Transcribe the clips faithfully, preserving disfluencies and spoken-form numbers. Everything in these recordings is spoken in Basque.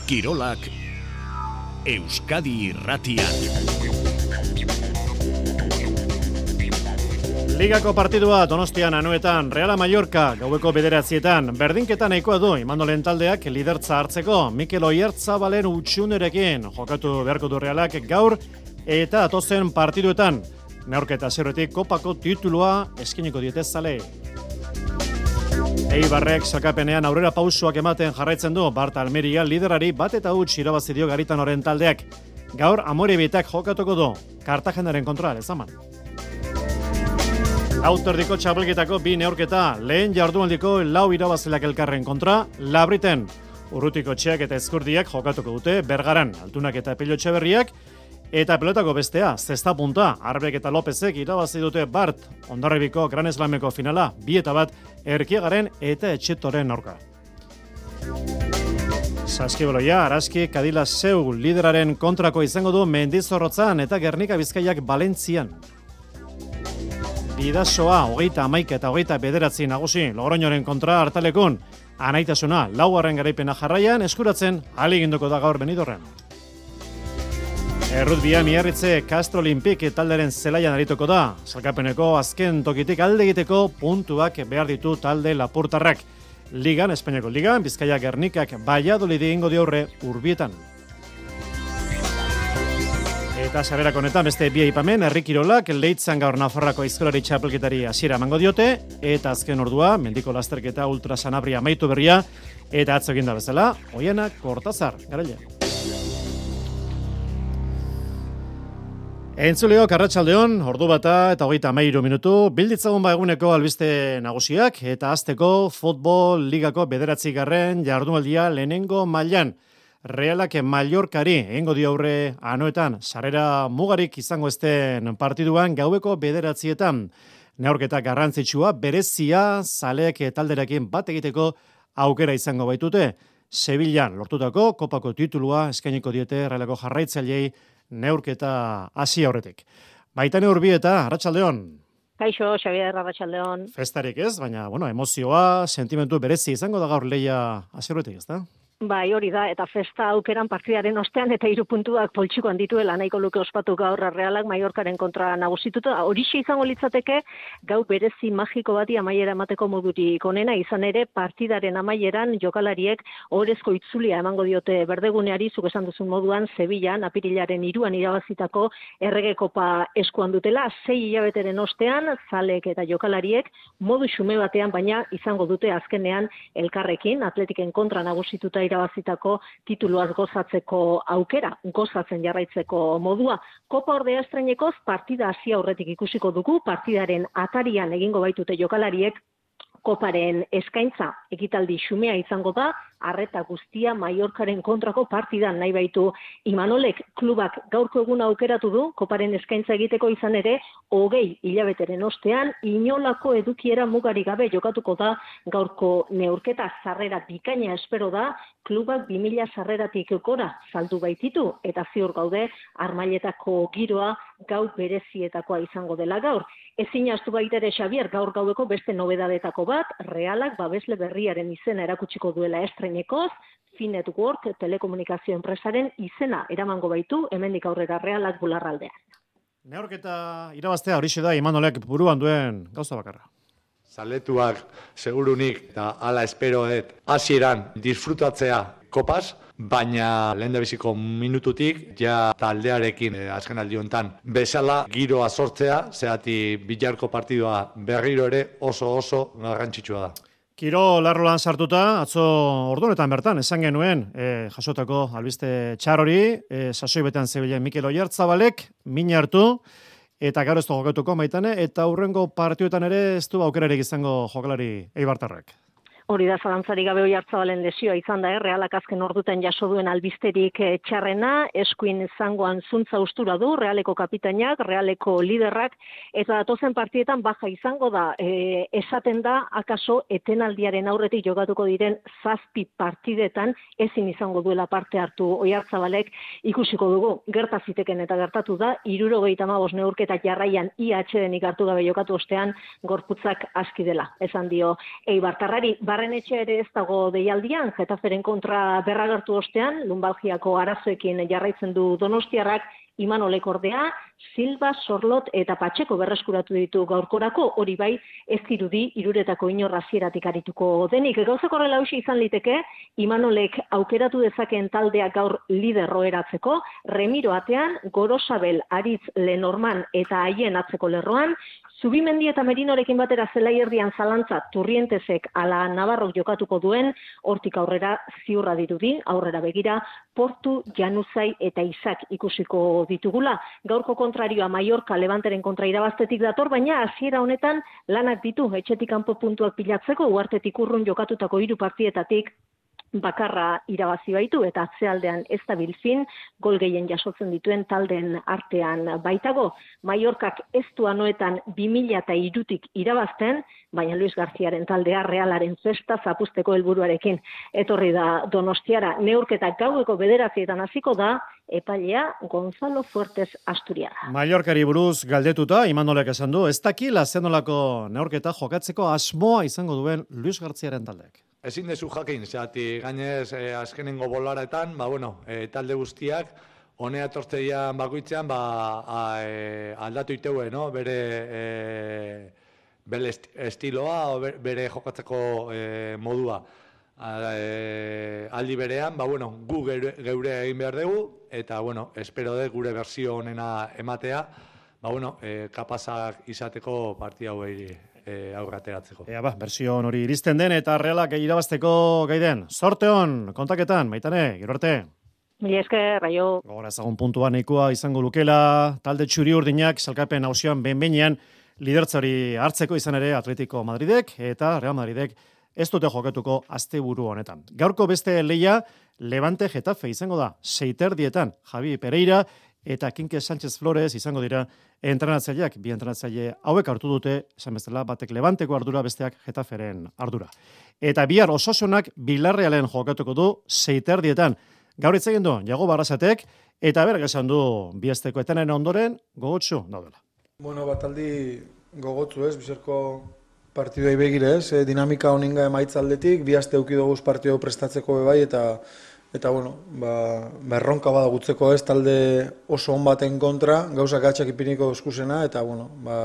Kirolak Euskadi Irratian. Ligako partidua Donostian Anoetan, Reala Mallorca gaueko bederatzietan, berdinketa nahikoa du Imandolen taldeak lidertza hartzeko, Mikel Oyarzabalen utxunerekin jokatu beharko du Realak gaur eta atozen partiduetan. Neurketa zerretik kopako titulua eskiniko diete zale. Eibarrek sakapenean aurrera pausoak ematen jarraitzen du, Barta Almeria liderari bat eta huts irabazi dio Garitanoren taldeak. Gaur Amorebitak jokatuko du, Kartagenaren kontra lezaman. Auterdiko txapelketako bi neurketa, lehen jardunaldiko lau irabazleak elkarren kontra, Labriten. Urrutiko txeak eta ezkurdiak jokatuko dute, Bergaran, Altunak eta Pilotxe berriak, eta pelotako bestea, zesta punta, Arbek eta Lopezek irabazi dute Bart, Hondarribiko Gran Slameko finala, bi eta bat, Erkiegaren eta Etxetoren aurka. Saskibaloia, Araski, Kadila Seu lideraren kontrako izango du Mendizorrotzan eta Gernika Bizkaiak Valentzian. Bidasoa, hogeita hamaika eta hogeita bederatzi nagusi, Logroñoren kontra hartalekun, anaitasuna, laugarren garaipena jarraian, eskuratzen, ahaleginduko da gaur Benidorren. Errutbia Miarritze Castro Olimpik talderen zelaian arituko da, salkapeneko azken tokitik alde egiteko puntuak behar ditu talde lapurtarrak. Ligan, Espainiako Ligan, Bizkaia Gernikak Valladolid egingo diaurre Urbietan. Eta sarrerak honetan beste bi aipamen, Herri Kirolak Leitzan gaur Nafarroako aizkolari txapelketari hasiera emango diote, eta azken ordua, mendiko lasterketa ultra sanabria amaitu berria, eta atzo egin da bezala, Oiana Kortazar, garaile. Entzuleok, arratsaldeon, ordu bata eta hogeita hamairu minutu, bilditzagun ba eguneko albiste nagusiak, eta azteko futbol ligako bederatzi garren jardunaldia lehenengo mailan. Realak Mallorcari egingo dio aurre Anoetan, sarrera mugarik izango ezten partiduan gaueko bederatzietan. Neurketa garrantzitsua, berezia, zaleek talderekin bat egiteko aukera izango baitute. Sevillan lortutako kopako titulua eskainiko diete Realako jarraitzaileei neurketa hasi aurretik. Baitane Urbieta, arratsaldeon. Kaixo, Xabier, arratsaldeon. Festarik ez, baina bueno, emozioa, sentimentu berezi izango da gaur lehia hasi aurretik, ezta? Bai, hori da, eta festa aukeran partidaren ostean eta hiru puntuak poltsikoan dituela nahiko luke ospatu gaur Realak Mallorcaren kontra nagusituta. Horixe izango litzateke gau berezi magiko bati amaiera emateko modurik onena, izan ere partidaren amaieran jokalariek ohorezko itzulia emango diote berdeguneari, zuk esan duzun moduan Sevillan apirilaren hiruan irabazitako Errege Kopa eskuan dutela, sei hilabeteren ostean zalek eta jokalariek modu xume batean baina izango dute azkenean elkarrekin Atletiken kontra nagusituta irabazitako tituluaz gozatzeko aukera, gozatzen jarraitzeko modua. Kopa ordea estreinekoz partida hasi aurretik ikusiko dugu, partidaren atarian egingo baitute jokalariek Koparen eskaintza ekitaldi xumea izango da, arreta guztia Mallorcaren kontrako partidan nahi baitu Imanolek klubak gaurko eguna aukeratu du, Koparen eskaintza egiteko izan ere, hogei hilabeteren ostean, inolako edukiera mugari gabe jokatuko da gaurko neurketa sarrera bikaina espero da, klubak bi mila sarreratik gora saldu baititu, eta ziur gaude Armailetako giroa gau berezietakoa izango dela gaur. Ezin ahaztu baita ere Xabier gaur gaueko beste nobedadetako bat, Realak babesle berriaren izena erakutsiko duela estreinekoz, Finetwork telekomunikazio enpresaren izena eramango baitu, hemendik aurrera Realak bularraldean. Neurketa irabaztea horixe da Imanolek buruan duen gauza bakarra. Zaletuak segurunik eta hala esperoet hasieran disfrutatzea kopaz, baina lehendabiziko minututik ja taldearekin eh, azken aldi honetan bezala giroa sortzea, zehati bilarko partidua berriro ere oso oso garrantzitsua da. Kiro larrolan sartuta, atzo ordunetan bertan, esan genuen, e, jasotako albiste txarori, e, sasoi betean zebilen Mikel Oyarzabalek, min hartu, eta gero ez du jokatuko maitane, eta hurrengo partioetan ere ez du aukerarik izango jokalari eibartarrak. Hori da, zalantzarik gabe Oyarzabalen lesioa izan da, eh? Realak azken orduten jaso duen albisterik eh, txarrena, eskuin zangoan zuntza ustura du, Realeko kapitainak, Realeko liderrak, eta datozen partietan baja izango da, eh, esaten da, akaso etenaldiaren aurretik jokatuko diren zazpi partidetan, ezin izango duela parte hartu Oyarzabalek, ikusiko dugu, gerta ziteken eta gertatu da, hirurogeita hamabost neurketa jarraian I H denik hartu gabe jokatu ostean, gorputzak aski dela, esan dio eibartarrari. Barre Barrenetxe ere ez dago deialdian, Getaferen kontra berragertu ostean, lumbalgiako arazoekin jarraitzen du Donostiarrak, Imanolek ordea, Silva, Sorlot eta Patxeko berreskuratu ditu gaurkorako, hori bai ez dirudi hiruretako inor hasieratik arituko denik. Gauzak horrela hauxe izan liteke, Imanolek aukeratu dezakeen taldeak gaur liderro eratzeko, Remiro atean, Gorosabel, Aritz, Lenorman eta haien atzeko lerroan, Zubimendi eta Merinorekin batera zelaierdian zalantza Turrientesek ala Navarrok jokatuko duen, hortik aurrera ziurra dirudi, aurrera begira, Portu, Januzai eta Izak ikusiko ditugula. Gaurko kontrarioa Mallorca Levanteren kontra irabaztetik dator, baina hasiera honetan lanak ditu etxetik kanpo puntuak pilatzeko, uhartetik urrun jokatutako hiru partietatik bakarra irabazi baitu eta atzealdean ez da bilfin, gol gehien jasotzen dituen taldeen artean baitago. Mallorcak ez du anoetan bi mila hirutik irabazten, baina Luis Garziaren taldea Realaren festa zapusteko helburuarekin etorri da Donostiara. Neurketa gaueko bederatzietan hasiko da, epailea Gonzalo Fuertes Asturiara. Mallorcari buruz galdetuta, Imanolek esan du, ez dakila zenolako neurketa jokatzeko asmoa izango duen Luis Garziaren taldeak. Ezin dezu jakin, zehati gainez eh, azkenengo bolaretan, ba, bueno, eh, talde guztiak, honea tortzeian bakoitzean, ba, a, e, aldatu iteue, no? Bere, e, bere estiloa, o bere jokatzeko e, modua. A, e, aldi berean, ba, bueno, gu geure, geure egin behar dugu, eta, bueno, espero dut gure berzio honena ematea, ba, bueno, e, kapazak izateko partia hauei E, aurrateratzeko. Ea ba, bersio hori iristen den eta Realak irabazteko gai den. Sorte hon, kontaketan, Maitane, gero arte. Mila esker, raio. Gogora ezagun puntua nahikoa izango lukela, talde txuri urdinak salkapen hausian behin-behinean lidertzari hartzeko izan ere Atletico Madridek eta Real Madridek ez dute jokatuko asteburu honetan. Gaurko beste leia Levante Getafe izango da, seiterdietan, Javi Pereira eta Kinke Sánchez Flores izango dira entrenatzaileak, bi entrenatzaile hauek hartu dute, esan bezala, batek Levanteko ardura, besteak Getaferen ardura. Eta bihar Osasunak Villarrealen jokatuko du seiterdietan. Gaur hitz egin du Jago Barrasatek eta berak esan du biesteko etenen ondoren gogotsu daudela. Bueno, bataldi gogotsu ez, bizarko partidoi begire ez, e, dinamika honinga emaitzaldetik, bi aste eduki dugu partido prestatzeko bebai eta Eta, bueno, ba, berronka bada gutzeko ez, talde oso on baten kontra, gauzak gatxak ipiniko eskusena, eta, bueno, ba,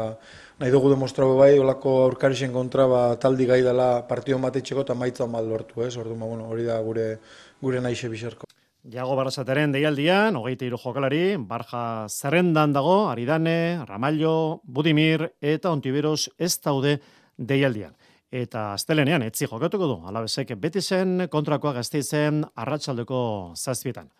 nahi dugu demostrau bai, olako aurkarixen kontra, ba, taldi gai dela partidon bat etxeko eta maitza on bat lortu, ez, ordu, ba, bueno, hori da gure, gure naixe bizarko. Jago Barrasateren deialdian, hogeita hiru jokalari, Barja zerrendan dago, Aridane, Ramallo, Budimir eta Ontiveros ez daude deialdian. Eta astelenean etzi jokatuko du, Alabesek Betisen kontrakoa Gasteizen arratsaldeko zazpietan.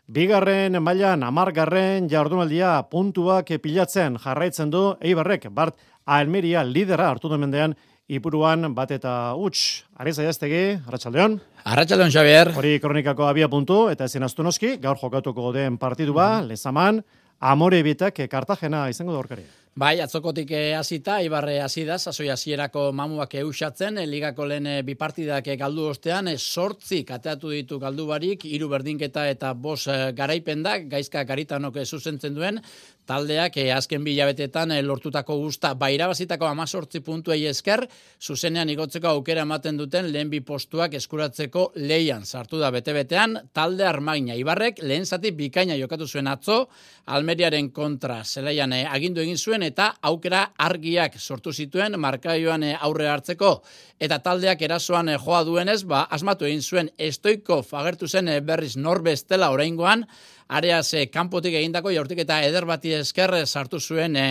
Bigarren mailan hamargarren jardunaldia puntuak pilatzen jarraitzen du Eibarrek, Bart Almeria lidera hartu du mendean Ipuruan bat eta huts. Ariz Aiaztegi, arratsaldeon. Arratsaldeon, Xabier. Hori kronikako abia puntu eta ezin astu noski, gaur jokatuko den partidua, mm. Lezaman, Amorebitak Kartagena izango da aurkaria. Bai, atzokotik hasita, Ibarre hasi da, sasoi hasierako mamuak eusatzen, ligako lehen bi partidak galdu ostean, sortzi kateatu ditu galdu barik, hiru berdinketa eta bos garaipen da, Gaizka Garitanok zuzentzen duen, taldeak azken bilabetetan lortutako guzta, bairabazitako amazortzi puntuei esker, zuzenean igotzeko aukera ematen duten lehen bi postuak eskuratzeko leian sartu da bete-betean, talde Armagina. Ibarrek lehen zati bikaina jokatu zuen atzo, Almeriaren kontra zelaian agindu egin zuen, eta aukera argiak sortu zituen markaioan aurre hartzeko. Eta taldeak erasoan joa duenez, ba, asmatu egin zuen Stoikov agertu zen berriz norbestela oraingoan, areaz kanpotik egindako jaurtik eta eder bati esker sartu zuen e,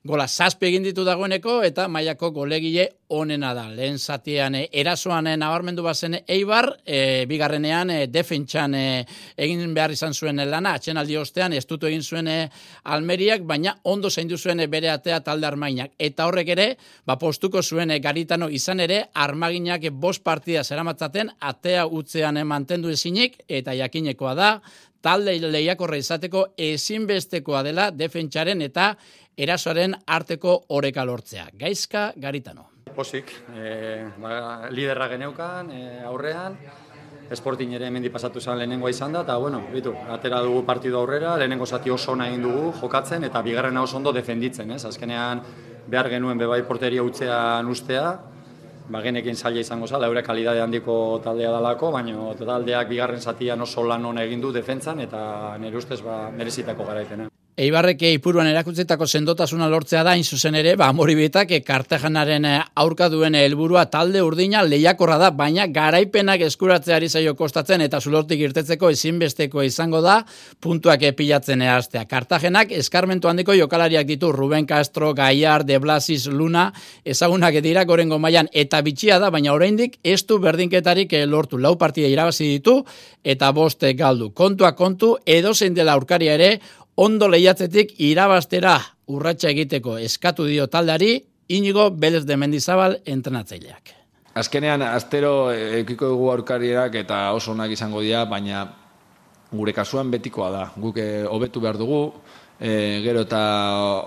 gola zazpi egin ditu dagoeneko eta mailako golegile onena da. Lehen zatian e, erasoan e, nabarmendu bazen Eibar, e, bigarrenean e, defentsan e, egin behar izan zuen lana, atxenaldi ostean estutu egin zuen e, Almeriak, baina ondo zaindu zuen e, bere atea talde Armaginak. Eta horrek ere, ba, postuko zuen e, Garitano izan ere, Armaginak e, bost partida zeramatzaten, atea utzean e, mantendu ezinik, eta jakinekoa da, talde lehiakorra izateko ezinbestekoa dela defentsaren eta erasoaren arteko oreka lortzea. Gaizka Garitano. Pozik, e, ba, liderra geneukan e, aurrean, Sporting ere hemendi pasatu zen lehenengoa izan da, eta bueno, bitu, atera dugu partidu aurrera, lehenengo zati oso ona egin dugu jokatzen, eta bigarrena oso ondo defenditzen, ez? Azkenean behar genuen bebai porteria utzean ustea, bagenekin zaila izango zala, eure kalidade handiko taldea dalako, baina taldeak bigarren zatian oso lan hona egin du defentsan, eta nire ustez ba, merezitako garaipena. Eibarrek Ipuruan erakutsitako sendotasuna lortzea da, hain zuzen ere, ba, Amoribietak Kartajanaren aurka duen helburua talde urdina lehiakorra da, baina garaipenak eskuratzeari zaio kostatzen eta zulortik irtetzeko ezinbesteko izango da puntuak pilatzen hastea. Kartagenak eskarmentu handiko jokalariak ditu, Ruben Castro, Gaiar, De Blasis, Luna, ezagunak dira gorengo mailan eta bitxia da, baina oraindik ez du berdinketarik lortu. Lau partida irabazi ditu eta boste galdu. Kontua kontu, edozein dela aurkaria ere, ondo lehiatzetik irabastera urratsa egiteko eskatu dio taldeari Inigo Belez de Mendizabal entrenatzaileak. Azkenean, astero ekiko dugu aurkarierak eta oso onak izango dira, baina gure kasuan betikoa da. Guk hobetu behar dugu, e, gero eta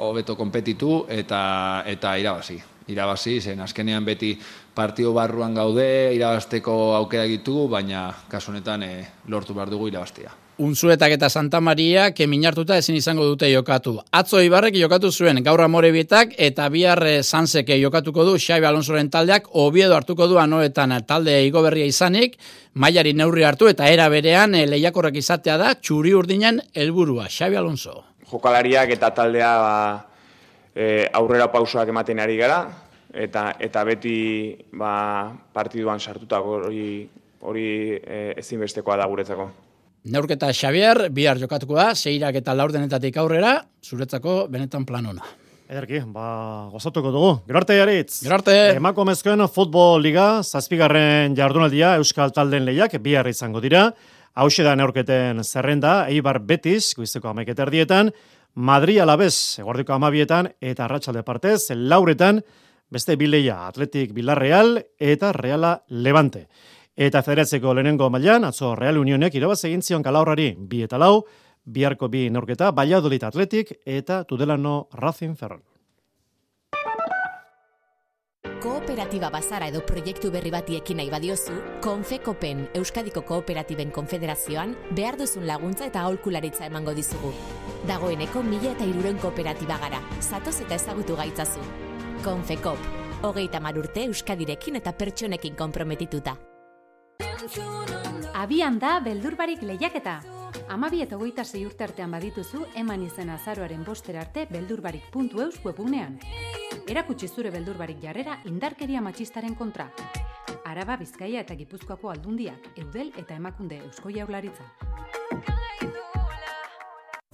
hobeto konpetitu eta, eta irabazi. Irabazi, zen azkenean beti partio barruan gaude, irabasteko aukera ditugu, baina kasu honetan e, lortu behar dugu irabastia. Unzuetak eta Santa Maria keminartuta ezin izango dute jokatu. Atzo Ibarrek jokatu zuen gaur Amorebietak eta bihar Sansek jokatuko du Xabi Alonsoren taldeak, Oviedo hartuko du Anoetan talde igoberria izanik, mailari neurri hartu eta era berean lehiakorrak izatea da txuri urdinen helburua. Xabi Alonso. Jokalariak eta taldea ba, e, aurrera pausoak ematen ari gara eta eta beti ba, partiduan sartutako hori hori e, ezinbestekoa da guretzako. Neurketa Xavier, bihar jokatuko da, seirak eta laurdenetatik aurrera, zuretzako benetan plan ona. Ederki, ba, gozatuko dugu. Gero arte, Jaritz. Gero arte. Emakumezkoen futbol liga, zazpigarren jardunaldia Euskal Talden lehiak bihar izango dira. Hauxe da neurketen zerrenda, Eibar Betis, goizeko hamaika erdietan, Madrid Alabez, eguerdiko hamabietan, eta Arratsalde partez, lauretan, beste bileia, Atletik Villarreal eta Reala Levante. Eta federatzeko lehenengo mailan, atzo Real Unionek irabaz egin zion Kalaurrari bi eta lau, biharko bi neurketa, Valladolid Atletik eta Tudelano Racing Ferrol. Kooperatiba bazara edo proiektu berri bati ekin nahi badiozu, Konfekopen Euskadiko Kooperatiben Konfederazioan behar duzun laguntza eta aholkularitza emango dizugu. Dagoeneko mila eta hirurehun kooperatiba gara, zatoz eta ezagutu gaitzazu. Konfekop, hogeita hamar urte Euskadirekin eta pertsonekin konprometituta. Abian da beldurbarik lehiaketa. Hamabi eta hogeita sei urte artean badituzu, eman izen azaroaren bostera arte beldurbarik puntu eus webunean. Erakutsi zure beldurbarik jarrera indarkeria matxistaren kontra. Araba, Bizkaia eta Gipuzkoako aldundiak, Eudel eta Emakunde Eusko Jaurlaritza.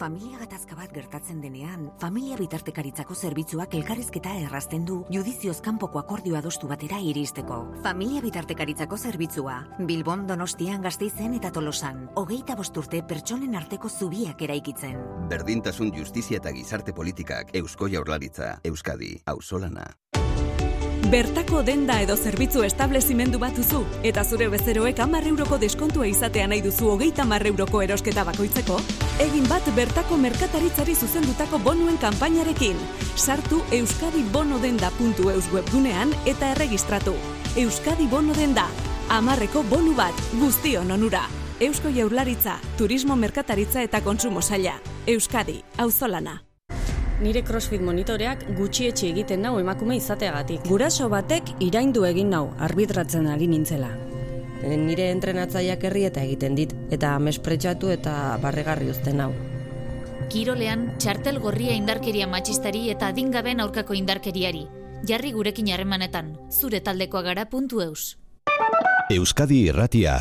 Familia gatazka bat gertatzen denean, familia bitartekaritzako zerbitzuak elkarrizketa errazten du judizioz kanpoko akordio adostu batera iristeko. Familia bitartekaritzako zerbitzua, Bilbon, Donostian, Gasteizen eta Tolosan, hogeita bost urte pertsonen arteko zubiak eraikitzen. Berdintasun, justizia eta gizarte politikak, Eusko Jaurlaritza, Euskadi, auzolana. Bertako denda edo zerbitzu establezimendu bat duzu eta zure bezeroek hamar euroko deskontua izatea nahi duzu hogeita hamar euroko erosketa bakoitzeko, egin bat bertako merkataritzari zuzendutako bonuen kanpainarekin. Sartu euskadibonodenda puntu eus webgunean eta erregistratu. Euskadi Bono Denda, hamarreko bonu bat, guztion onura. Eusko Jaurlaritza, Turismo Merkataritza eta Kontsumo Saila. Euskadi, auzolana. Nire CrossFit monitoreak gutxietxi egiten nau emakume izateagatik. Guraso batek iraindu egin nau arbitratzen ari nintzela. Nire entrenatzaileak herrieta egiten dit eta mespretxatu eta barregarri uzten nau. Kirolean, txartel gorria indarkeria matxistari eta adingaben aurkako indarkeriari. Jarri gurekin harremanetan, zure taldekoa gara puntu eus. Euskadi Irratia.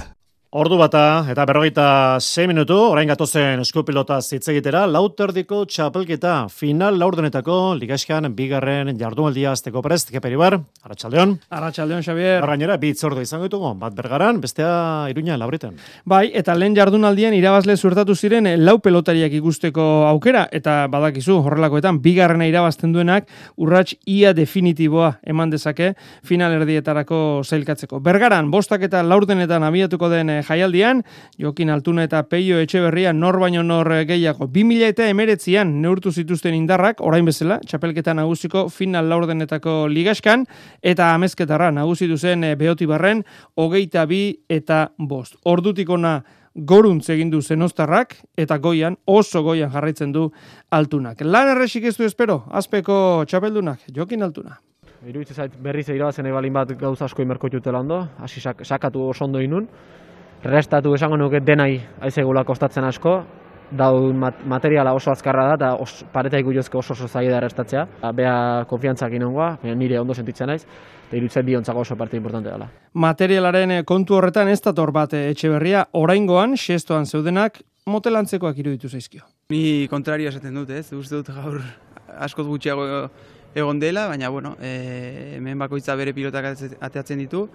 Ordu bata eta berrogeita sei minutu, orain gatozen eskupilota zitzegitera, lauterdiko txapelketa final laurdenetako ligaxkan bigarren jardunaldia azteko prest, Keperibar, Arratsaldeon. Arratsaldeon, Xavier. Gainera, bi itzordu izango ditugu, bat Bergaran, bestea Iruña Labreten. Bai, eta lehen jardunaldian irabazle zuertatu ziren lau pelotariak ikusteko aukera, eta badakizu, horrelakoetan, bigarrena irabazten duenak, urrats ia definitiboa eman dezake final erdietarako zailkatzeko. Bergaran, bostak eta laurdenetan abiatuko den jaialdian, Jokin Altuna eta Peio Etxeberria nor baino nor gehiago. bi mila hemeretzian neurtu zituzten indarrak, orain bezala, txapelketa nagusiko final laurdenetako ligaskan, eta amezketarra nagusitu zen Beotibarren hogeita bi eta bost. Ordutik ona goruntz egin du Zenostarrak, eta goian, oso goian jarraitzen du Altunak. Lan erresik ez du espero, azpeko txapeldunak, Jokin Altuna. iruditzen zait berriz irabazen balin bat gauza asko imerko jutela ondo, hasi sak, sakatu oso ondo inun, restatu esango nuke denai aizegula kostatzen asko, daun mat, materiala oso azkarra da, eta os, pareta ikujozko oso oso zaila da restatzea. Bea konfiantzak inongoa, nire ondo sentitzen naiz, eta iruditzen biontzako oso parte importante dela. Materialaren kontu horretan ez dator bat Etxeberria, oraingoan, xestoan zeudenak, motelantzekoak iruditu zaizkio. Ni kontrario esaten dut, ez? Uste dut gaur askoz gutxiago egon dela, baina bueno, e, hemen bakoitza bere pilotak ateatzen ditu,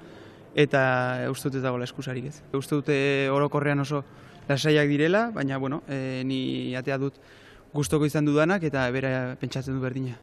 eta uste dut ez dagoela eskusarik ez. Uste dut orokorrean oso lasaiak direla, baina bueno, e, ni atea dut gustoko izan dudanak eta bera pentsatzen du berdina.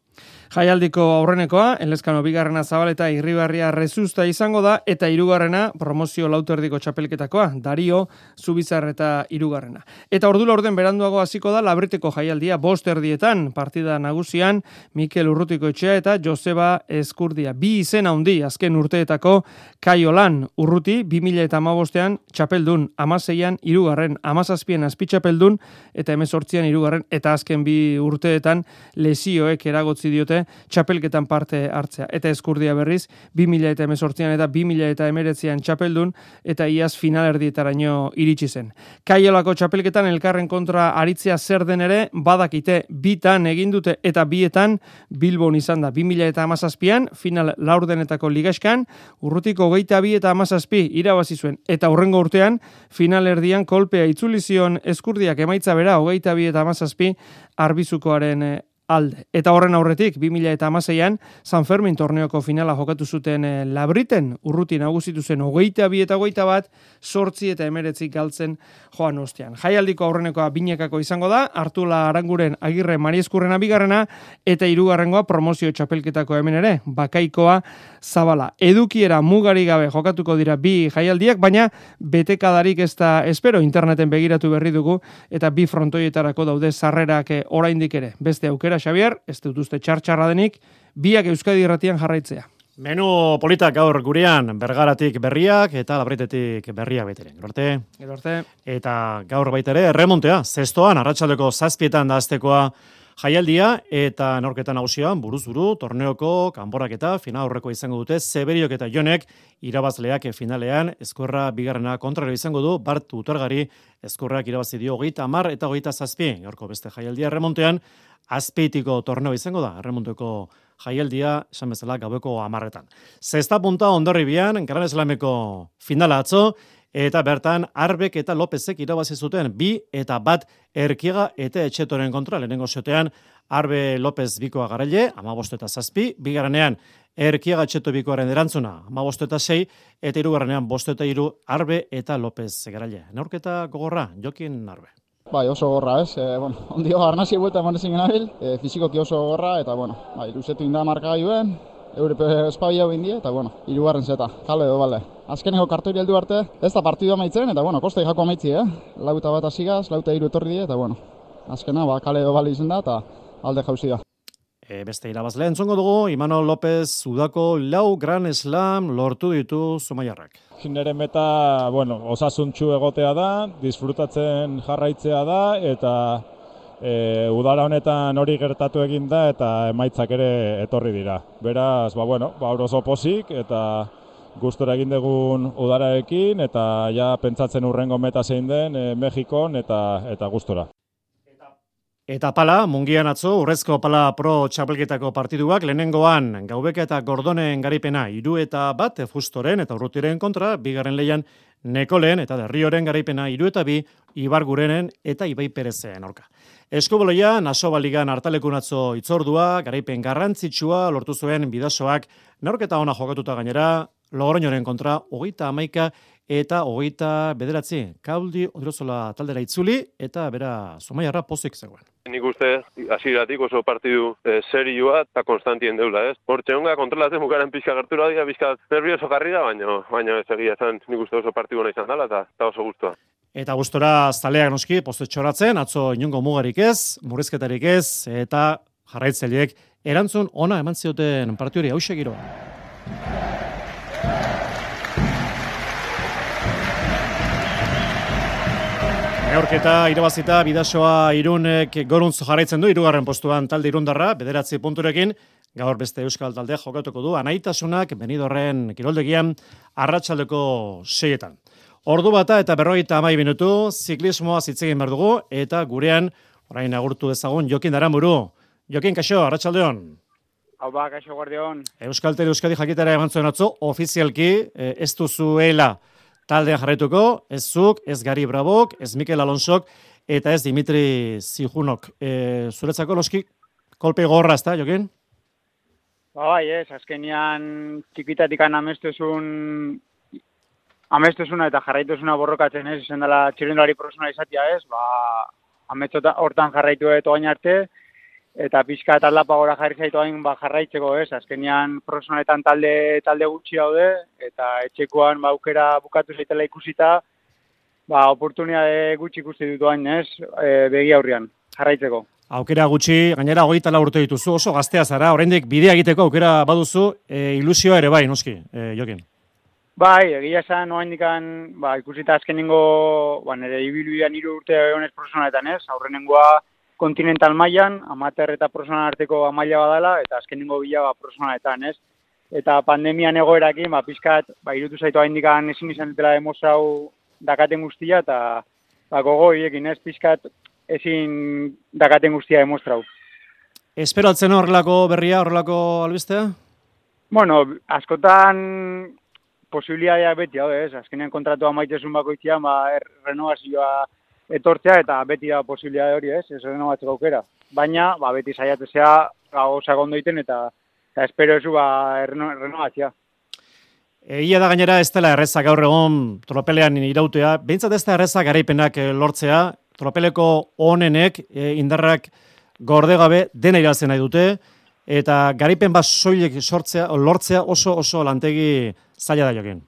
Jaialdiko aurrenekoa, Elezkano bigarrena Zabaleta Irribarria Rezusta izango da, eta hirugarrena promozio lauterdiko txapelketakoa, Dario Zubizar eta hirugarrena. Eta ordula orden beranduago hasiko da Labriteko jaialdia bost erdietan, partida nagusian Mikel Urrutikoetxea eta Joseba Eskurdia. Bi izen handi azken urteetako Kaiolan Urruti bi mila hamabostean txapeldun, hamaseian hirugarren, hamazazpian azpitxapeldun eta hemezortzian hirugarren, eta azken bi urteetan lesioek eragotzi diote txapelketan parte hartzea. Eta Eskurdia berriz, bi mila hemezortzian eta bi mila hemeretzian txapeldun, eta iaz finalerdietaraino iritsi zen. Kaiolako txapelketan elkarren kontra aritzea zer den ere, badakite bitan egin dute eta bietan Bilbon izan da. bi mila hamazazpian, final laurdenetako ligaskan, Urrutiko hogeita bi eta hamazazpi irabazi zuen. Eta hurrengo urtean, finalerdian kolpea itzuli zion Eskurdiak emaitza bera, hogeita bi eta hamazazpi arbizukoaren alde. Eta horren aurretik, bi mila hamaseian, San Fermin torneoko finala jokatu zuten e, Labriten, Urruti nagusitu zen hogeita bi eta hogeita bat, sortzi eta emeretzik galtzen joan ostean. Jaialdiko aurrenekoa binekako izango da, Artula Aranguren Agirre Marieskurrena bigarrena, eta hirugarrengoa promozio txapelketako hemen ere, Bakaikoa Zabala. Edukiera mugari gabe jokatuko dira bi jaialdiak, baina betekadarik ez da espero, interneten begiratu berri dugu, eta bi frontoietarako daude sarrerak oraindik ere. Beste aukera, Xavier, ez dut uste txartxarra denik, biak Euskadi Irratian jarraitzea. Menu politak gaur gurean, Bergaratik berriak eta Labritetik berriak baiteren. Gerorte? Gerorte. Eta gaur baitere, erremontea, zestoan, arratsaldeko zazpietan da aztekoa jaialdia, eta norketan nagusian, buruz buru, torneoko, kanborak eta final aurreko izango dute, Zeberiok eta Jonek, irabazleak finalean, Ezkurra bigarrena kontraro izango du, Bart Utorgari, Ezkurrak irabazi dio hogeita hamar eta hogeita zazpi, gaurko beste jaialdia erremontean, Azpeitiko torneo izango da, erremonteko jaialdia, esan bezala, gaueko hamarretan. Zesta punta Hondarribian, Gran Eslameko finala atzo, eta bertan Arbek eta Lopezek irabazi zuten bi eta bat Erkiega eta Etxetoren kontra, lehenengo xotean Arbe Lopez bikoa garaile, hamabost eta zazpi, bigarrenean Erkiega Etxeto bikoaren erantzuna, hamabost eta sei, eta hirugarrenean bost eta hiru Arbe eta Lopez garaile. Neurketa gogorra, Jokin Arbe. Bai, oso gorra, ez? E, bueno, ondio arnazi buelta eman ezin genabil, e, fizikoki oso gorra, eta, bueno, bai, luzetu inda marka gailuen, Eurep espabia hau indie, eta, bueno, hirugarren zeta, kale edo, bale. Azkeneko kartori heldu arte, ez da partidua amaitzen, eta, bueno, kosta jako amaitzi, eh? Lauta bat asigaz, lauta hiru etorri die, eta, bueno, azkena, ba, kale edo bale izen da, eta alde jauzi da. E, beste irabazle entzongo dugu, Imanol López Udako lau Gran Slam lortu ditu Zumaiarrak. Nere meta, bueno, osasuntxu egotea da, disfrutatzen jarraitzea da, eta e, udara honetan hori gertatu egin da, eta emaitzak ere etorri dira. Beraz, ba, bueno, ba, oso pozik, eta gustora egin dugun udararekin, eta ja pentsatzen urrengo meta zein den e, Mexikon, eta, eta gustora. Eta pala, mungian atzo, urrezko pala pro txapelketako partiduak, lehenengoan Gaubeka eta Gordonen garipena iru eta bat, Fustoren eta Urrutiren kontra, bigarren leian Nekolen eta Derrioren garipena iru eta bi, Ibargurenen eta Ibai Perezen aurka. Eskuboloia, Nasoba Ligan hartalekun atzo itzordua, garaipen garrantzitsua lortu zuen bidasoak, neurketa ona jokatuta gainera, Logroñoren kontra, hogeita hamaika eta hogeita bederatzi. Kauldi Odrozola taldera itzuli eta bera Zumaiarra pozik zegoen. Nik uste hasieratik oso partidu e, serioa eta konstantien deula, ez? Hortxe honga kontrolatzen bukaren pixka gertura dira, pixka nervioso jarri da, baina baina ez egia zen nik uste oso partidu nahi izan dela eta, eta oso gustua. Eta gustora zaleak noski postetxoratzen, atzo inungo mugarik ez, murrizketarik ez, eta jarraitzaileek erantzun ona eman zioten partiori hauxe giroa. Neurketa irabazita bidasoa Irunek goruntz jarraitzen du, hirugarren postuan talde irundarra, bederatzi punturekin, gaur beste euskal taldea jokatuko du, Anaitasunak Benidorren kiroldegian arratsaldeko seietan. Ordu bata eta berrogeita hamar minutu, ziklismoa zitzegin behar dugu, eta gurean, orain agurtu dezagun, Jokin Aranburu. Jokin, kaixo, arratsaldeon. Hau ba, kaixo guardion. Euskal Tele Euskadi jakitara eman zuen atzo, ofizialki, ez duzuela taldean jarraituko, ez zuk, ez Gari Brabok, ez Mikel Alonsok, eta ez Dimitri Zijunok. E, zuretzako loski, kolpe gorra, ezta, Jokin? Ba, bai, ez, azkenian txikitatikan amestuzun amestuzuna eta jarraituzuna borrokatzen ez, izan dela txirrindulari profesionala izatea ez, ba, ametxota hortan jarraitu eto gain arte, eta pixka eta aldapa gora jarri zaitu hain ba, jarraitzeko ez, azkenian profesionaletan talde, talde gutxi daude, eta etxekoan ba, aukera bukatu zaitela ikusita, ba, oportunitate gutxi ikusti dut hain ez, e, begi aurrian, jarraitzeko. Aukera gutxi, gainera hogeita lau urte dituzu, oso gaztea zara, oraindik bidea egiteko aukera baduzu, e, ilusioa ere bai, noski, e, Jokin. Bai, egia esan, oaindikan, ba, ikusita azkenengo, ba, nire ibiluian hiru urte honez profesionaletan ez, aurrenengoa kontinental mailan, amater eta profesional arteko maila badala, eta azkenengo bila ba, profesionaletan ez. Eta pandemian egoerakin, ba, pixkat, ba, irutu zaitu oaindikan ezin izan dutela demostrau dakaten guztia, eta ba, gogo hiekin ez, pixkat ezin dakaten guztia demostrau. Esperatzen horrelako berria, horrelako albistea? Bueno, askotan posibilitateak beti hau ez, azkenean kontratua maitezun bakoitzean, ba, er, renovazioa etortzea eta beti da posibilitate hori ez, ez renovatzeko aukera. Baina, ba, beti saiatzea gauzak ondo egiten eta, eta espero ezu ba, renovatzea. Egia da gainera ez dela erreza gaur egon tropelean irautea, behintzat ez da erreza garaipenak lortzea, tropeleko onenek e, indarrak gorde gabe dena irazen nahi dute, eta garaipen bat soilik sortzea, lortzea oso oso lantegi zaila da Jokin.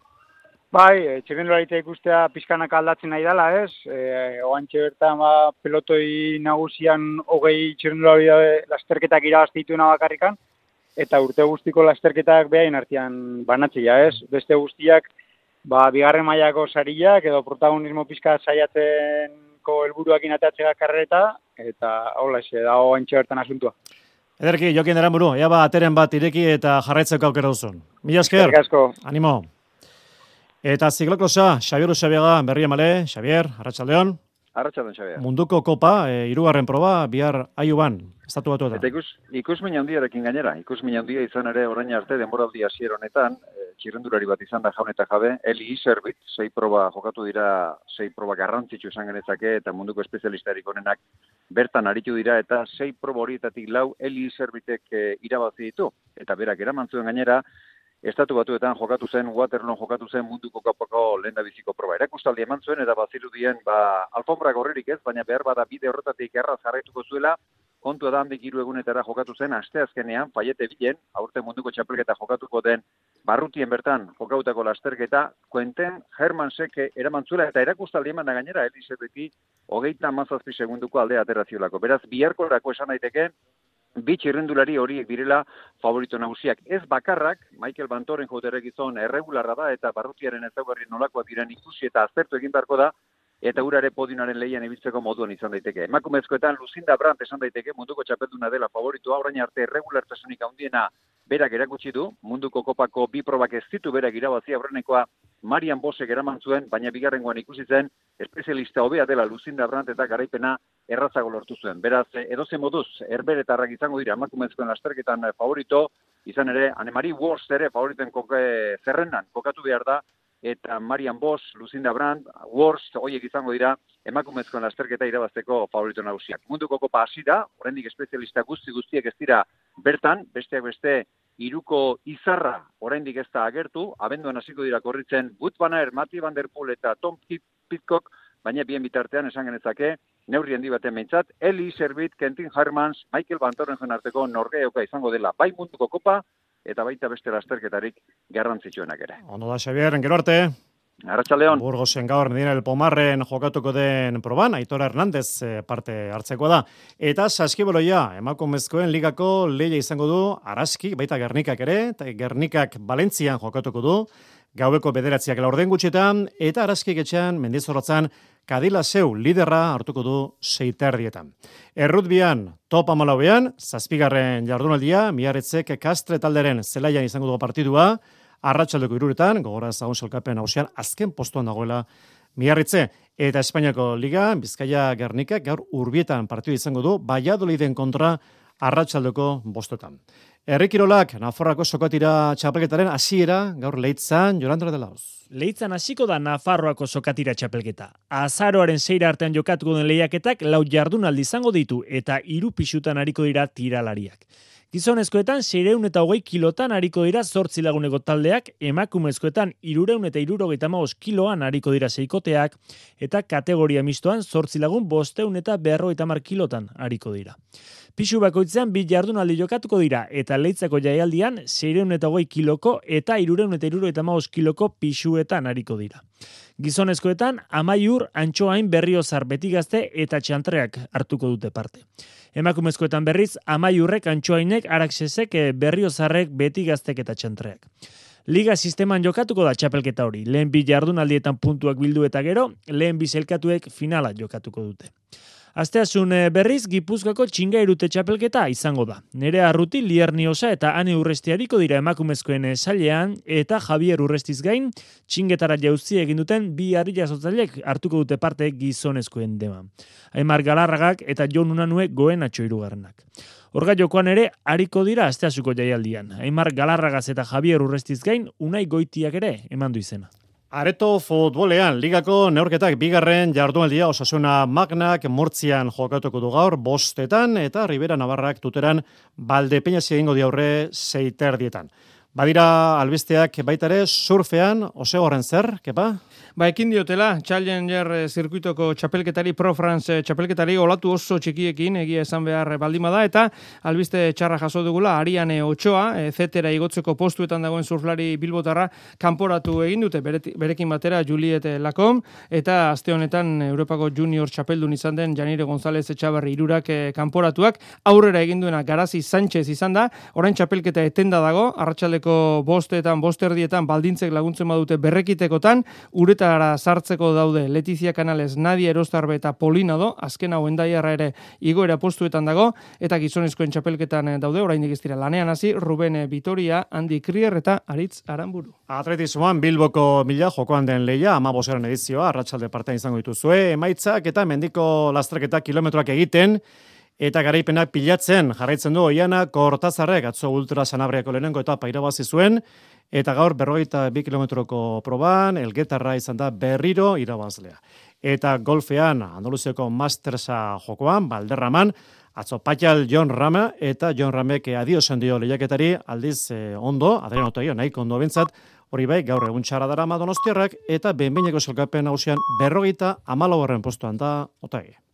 Bai, txirrindularitza ikustea pizkanak aldatzen nahi dela, ez? E, oantxe bertan ba, pelotoi nagusian hogei txirrindulari lasterketak irabazte dituna bakarrikan, eta urte guztiko lasterketak behain artean banatzea, ez? Beste guztiak, ba, bigarren mailako sariak edo protagonismo pizka saiatzenko helburuak inateatzea karreta, eta hola, ez da oantxe bertan asuntua. Ederki, Jokin Aranburu, ea ba, ateren bat ireki eta jarraitzeko aukera duzun. Mila esker, animo. Eta ziklokrosa, Xabier Usabiaga, berri amale, Xabier, arratsaldeon. Arratsaldeon, Xabier. Munduko kopa, e, hirugarren proba, bihar Aiuban, estatu batu eta. Eta ikus, ikusmin handiarekin gainera, ikusmin handia izan ere orain arte denboraldi hasier honetan, e, txirrendulari bat izan da jaun eta jabe, Eli Iserbit, sei proba jokatu dira, sei proba garrantzitsu izan genezake, eta munduko espezialistarik onenak bertan aritu dira, eta sei proba horietatik lau Eli Iserbitek e, irabazi ditu, eta berak eraman zuen gainera, Estatu batuetan jokatu zen, Waterloon jokatu zen munduko kopako lehen da biziko proba. Erakustaldi eman zuen, eta bazirudien, ba, alfombra gorririk ez, baina behar bada bide horretatik erraz jarraituko zuela, kontua da handik hiru egunetara jokatu zen, asteazkenean, Faiete bilen, aurte munduko txapelketa jokatuko den, barrutien bertan jokautako lasterketa, Quentin Hermansek eraman zuela, eta erakustaldi eman da gainera, Elisabeti, hogeita hamazazpi segunduko aldea ateraziolako. Beraz, biharkorako esan daiteke, bi txirrendulari horiek direla favorito nagusiak. Ez bakarrak, Michael Bantoren joterek izan erregularra da eta barrutiaren ezaugarri nolakoak diren ikusi eta aztertu egin beharko da, eta urare podionaren lehian ibiltzeko moduan izan daiteke. Emakumezkoetan Lucinda Brandt esan daiteke munduko txapelduna dela favoritua, orain arte erregulartasunik handiena berak erakutsi du, munduko kopako bi probak ez ditu berak irabazi, aurrenekoa Marian Bosek eraman zuen, baina bigarrengoan ikusi zen espezialista hobea dela Lucinda Brandt eta garaipena errazago lortu zuen. Beraz, edozen moduz, erberetarrak izango dira emakumezkoen lasterketan favorito, izan ere, Anne-Marie Worst ere favoriten koke zerrendan kokatu behar da, eta Marian Bosch, Lucinda Brandt, Worst, horiek izango dira emakumezkoen lasterketa irabazteko favorito nagusiak. Munduko kopa hasi da, oraindik espezialista guzti guztiek ez dira bertan, besteak beste, hiruko izarra oraindik ez da agertu, abenduan hasiko dira korritzen Wout van Aert, Mathieu van der Poel eta Tom Pidcock, baina bien bitartean esan genezake, neurri handi baten behintzat, Eli Iserbit, Quentin Hermans, Michael Bantoren arteko norgeoka izango dela, bai munduko kopa, eta baita beste lasterketarik garrantzitsuenak ere. Ondo da, Xabier, gero arte. Arratsaldeon. Burgosen gaur Medina el Pomarren jokatuko den proban, Aitor Hernandez parte hartzeko da. Eta saskiboloia, emakumezkoen ligako lehia izango du, Araski, baita Gernikak ere, eta Gernikak Valentzian jokatuko du, gaueko bederatziak laurden gutxetan, eta Araskik etxean, Mendizorrotzan, Kadilaseu liderra hartuko du seiterdietan. Errutbian, top amalauean, zazpigarren jardunaldia, Miarritzek Kastre talderen zelaian izango dugu partidua, arratsaldeko iruretan, gogora zagun salkapen hausian, azken postuan dagoela Miarritze. Eta Espainiako Liga, Bizkaia Gernikak gaur Urbietan partidu izango du, Valladoliden kontra arratsaldeko bostetan. Herrikirolak, Nafarroako sokatira txapelketaren hasiera gaur Leitzan, Jolanda de Laoz. Leitzan hasiko da Nafarroako sokatira txapelketa. Azaroaren seira artean jokatuko den lehiaketak lau jardunaldi izango ditu eta hiru pisutan ariko dira tiralariak. Gizonezkoetan seiehun eta hogei kilotan ariko dira zortzi laguneko taldeak, emakumezkoetan hirurehun eta hirurogeita hamabost kiloan ariko dira seikoteak, eta kategoria mistoan zortzi lagun bostehun eta berrogeita hamar kilotan ariko dira. Pisu bakoitzean bi jardunaldi jokatuko dira eta Leitzako jaialdian seiehun eta hogei kiloko eta hirurehun eta hirurogeita hamabost kiloko pisuetan ariko dira. Gizonezkoetan Amaiur, Antxoain, Berriozar, Betigazte eta Txantreak hartuko dute parte. Emakumezkoetan berriz Amaiurrek, Antxoainek, Araxesek, Berriozarrek, Betigaztek eta Txantreak. Liga sisteman jokatuko da txapelketa hori. Lehen bi jardunaldietan puntuak bildu eta gero, lehen bi zelkatuek finala jokatuko dute. Asteazun berriz, Gipuzkoako Txingairute txapelketa izango da. Nerea Arruti, Lierniosa eta Ane Urresti hariko dira emakumezkoen sailean eta Javier Urrestiz gain, txingetara jauzi egin duten bi harri jasotzailek hartuko dute parte gizonezkoen dema. Aimar Galarragak eta Jon Unanue goen atxo hirugarrenak. Orga jokoan ere, hariko dira asteazuko jaialdian. Aimar Galarragaz eta Javier Urrestiz gain, Unai Goitiak ere eman du izena. Areto futbolean, ligako neurketak bigarren jardunaldia Osasuna Magnak Murtzian jokatuko du gaur bostetan eta Ribera Navarrak Tuteran Valdepeñasi egingo diaurre seiterdietan. Badira albisteak baita ere surfean, Osegorren zer, kepa? Ba, ekin diotela, Challenger zirkuitoko txapelketari, Pro France txapelketari, olatu oso txikiekin, egia esan behar baldima da, eta albiste txarra jaso dugula, Ariane Ochoa, e, zetera igotzeko postuetan dagoen surflari bilbotarra, kanporatu egin dute, berekin batera Juliet Lacom, eta aste honetan Europako junior txapeldun izan den Janire González Etxaberri irurak e, kanporatuak, aurrera egin duena Garazi Sánchez izan da, orain txapelketa etenda dago, arratsaldeko bostetan, bosterdietan, baldintzek laguntzen badute berrekitekotan, ureta sartzeko daude Letizia Canales, Nadia Erostarbe eta Polinado, azken hau endaiarra ere igoera postuetan dago, eta gizonezkoen txapelketan daude, oraindik ez dira lanean hasi, Ruben Vitoria, Andi Krier eta Aritz Aranburu. Atletismoan Bilboko mila jokoan den leia, amabosgarren edizioa, arratsalde partean izango dituzue, emaitzak eta mendiko lastraketa kilometroak egiten, eta garaipenak pilatzen jarraitzen du Oiana Kortazarrek, atzo ultra Sanabriako lehenengo etapa irabazi zuen, eta gaur berrogeita bi kilometroko proban, Elgetarra izan da berriro irabazlea. Eta golfean, Andaluziako Mastersa jokoan, Balderraman, atzo Patxal Jon Rama, eta Jon Ramek adiosen dio lehiaketari, aldiz eh, ondo, Adriano Otaio, nahiko ondo bentzat, hori bai, gaur egun txara dara Donostiarrak, eta behinbeineko zelkapen hausian berrogeita hamalaugarren postuan da Otaio.